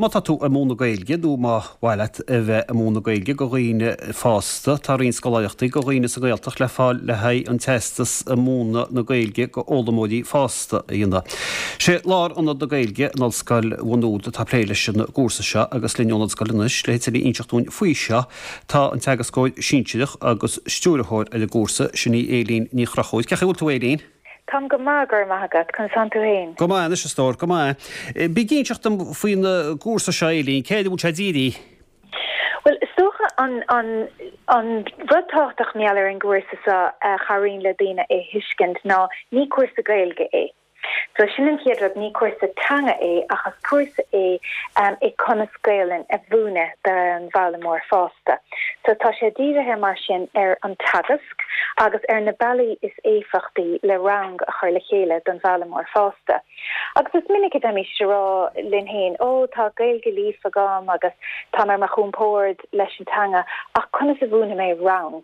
Má tá tú ag múineadh Gaeilge nó má mhaith leat a bheith ag múineadh Gaeilge go dhaoine fásta, tá roinnt scoláireachtaí go dhaoine sa Ghaeltacht le fáil le haghaidh an teastas i múineadh na Gaeilge go fhoghlaimeoirí fásta a dhéanamh. Sé Lárionad na Gaeilge in Ollscoil Mhá Nuad atá ag plé leis an gcúrsa seo agus linn ón Ollscoil anois le tuilleadh a inseacht dúinn faoi seo tá an teagascóir sinsearach agus stiúrthóir ar an gcúrsa, sin í Éilín Ní Chonchúir. Cén chaoi a bhfuil tú Éilín? Táim go maith, go raibh maith agat. Conas tánn tú fhéin? Go maith anois, a stór, go maith. Bí ag inseacht dom faoin gcúrsa seo, a Éilín, cé air a bhfuil sé dírithe? Bhuel, is dócha an, an, an rud tábhachtach mar gheall ar an gcúrsa seo a chabhraíonn le daoine é thuiscint ná ní cúrsa Gaeilge é. So sin an chéad rud, ní cúrsa teanga é ach is cúrsa é é conas Gaelainn a mhúineadh don bhfoghlaimeoir fásta. So tá sé dírithe mar sin ar an teagasc agus ar na bealaí is éifeachtaí le rang a chur le chéile don bhfoghlaimeoir fásta. Agus is minic a bheimís ag rá linn féin, 'Ó, tá Gaeilge líofa agam agus táim ar mo chompord leis an teanga, ach conas a mhúinfidh mé rang?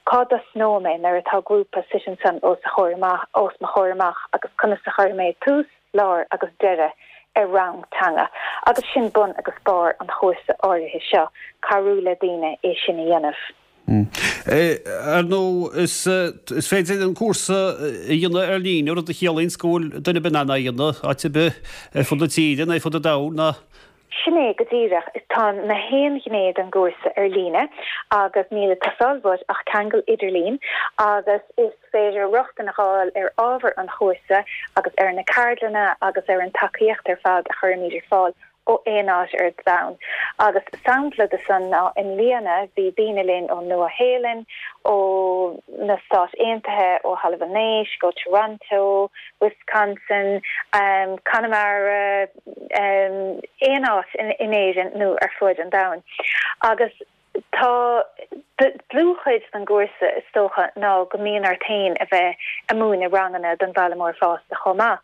Cá dtosnóidh mé nuair atá grúpa suite ansan os a chomhair amach, os mo chomhair amach agus conas a chuirfidh mé tús, lár agus deireadh ar rang teanga? Agus sin bun agus barr an chúrsa áirithe seo, cabhrú le daoine é sin a dhéanamh. Ar ndóigh, is féidir an cúrsa a dhéanamh ar líne, rud a chiallaíonns go bhfuil duine ar bith in ann é a dhéanamh, áit ar bith ar fud na tíre nó ar fud an domhain, ná. Sin é go díreach. Tá na haon ghné den gcúrsa ar líne agus níl ag teastáil uait ach ceangal idirlín agus is féidir rochtain a fháil ar ábhar an chúrsa agus ar na ceardlanna agus ar an tacaíocht ar fad a chuirimid ar fáil ó aon áit ar domhan. Agus sampla de san ná i mbliana bhí daoine linn ón Nua Shéalainn, ó na Stáit Aontaithe, ó Thalamh an Éisc, ó Toronto, Wisconsin, Conamara, aon áit in Éirinn nó ar fuaid an domhain. Agus tá dlúthchuid den gcúrsa, is dócha, ná go mbíonn ort féin a bheith ag múineadh ranganna don bhfoghlaimeoir fásta chomh maith.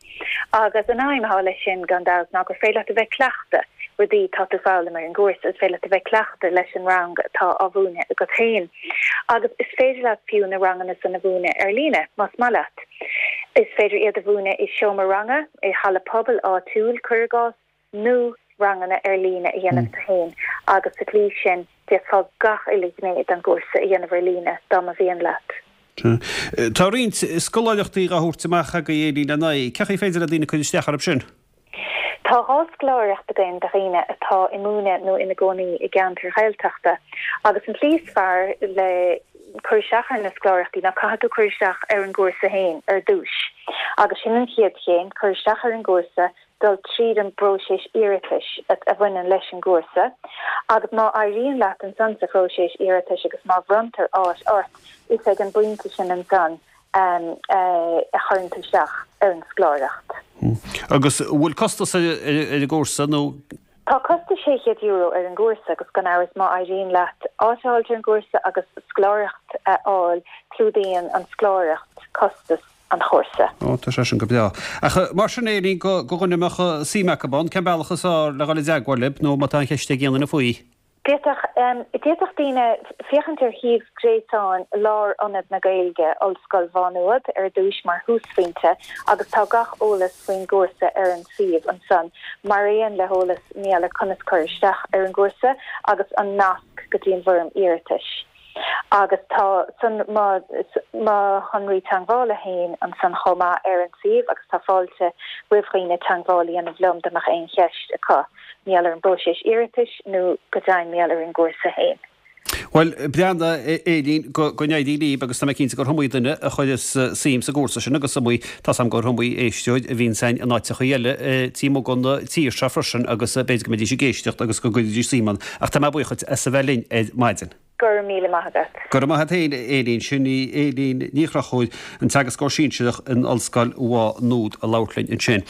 Agus an aidhm atá leis sin, gan dabht, ná gur féidir leat a bheith cleachta rudaí atá tú foghlaim ar an gcúrsa, is féidir leat a bheith cleachta leis an rang atá á mhúineadh agat féin. Agus is féidir leat fiú na ranganna san a mhúineadh ar líne, más maith leat. Is féidir iad a mhúineadh i seomra ranga, i halla pobail áitiúil, cuir i gcás, nó ranganna ar líne a dhéanamh tú féin agus sa tslí sin d'fhéadfá gach uile ghné den gcúrsa a dhéanamh ar líne dá mba mhian leat. Tá roinnt scoláireachtaí dhá thabhairt amach agaibh Éilín ar ndóigh. Cén chaoi ar féidir le daoine cur isteach orthu sin? Tá 2 scoláireacht againn do dhaoine atá ag múineadh nó ina gcónaí i gceantair Ghaeltachta agus an tslí is fearr le cur isteach ar na scoláireachtaí ná caithfidh tú cur isteach ar an gcúrsa féin ar dtús agus sin an chéad chéim, cur isteach ar an gcúrsa, dul tríd an bpróiseas iarratais a bhaineann leis an gcúrsa agus má éiríonn leat ansan sa phróiseas iarratais agus má bhronntar áit ort, is ag an bpointe sin ansan a chuireann tú isteach ar an scoláireacht. Agus an bhfuil costas ar an gcúrsa nó? Tá costas €600 ar an gcúrsa agus gan amhras má éiríonn leat áit a fháilt ar an gcúrsa agus scoláireacht a fháil, clúdaíonn an scoláireacht costas an chúrsa. Ó, tá sé sin go breá. Ach mar sin, Éilín, do dhuine a mbeadh suim acu ann, cén bealach is fearr le dhul i dteagmháil libh nó má tá aon cheist ag aon duine faoi? D'fhéadfadh daoine féachaint ar shuíomh gréasáin Lárionad na Gaeilge, Ollscoil Mhá Nuad, ar dtúis mar thúsphointe agus tá gach eolas faoin gcúrsa ar an suíomh ansan, mar aon le heolas maidir le conas cur isteach ar an gcúrsa agus an nasc go dtí an bhfoirm iarratais. Agus tá san mo shonraí teagmhála féin ansan chomh maith ar an suíomh agus tá fáilte roimh dhaoine teagmháil a dhéanamh liom dá mbeadh aon cheist acu mar gheall ar an bpróiseas iarratais nó go deimhin mar gheall ar an gcúrsa féin. Bhuel, breathnaigh, a Éilín, go n-éirí libh agus tá mé cinnte gur iomaí duine a chuireas suim sa gcúrsa sin agus iomaí, tá's agam gur iomaí éisteoir a bhíonns againn in áiteachaí eile taobh amuigh den tír seo freisin agus b'fhéidir go mbeidís ag éisteacht agus go gcuirfidís suim ann. Ach tá mé buíoch duit as a bheith linn ar maidin. Go raibh míle maith agat. Go raibh maith agat féin, a Éilín. Sin í Éilín Ní Chonchúir, an teagascóir sinsearach in Ollscoil Mhá Nuad a labhairt linn ansin.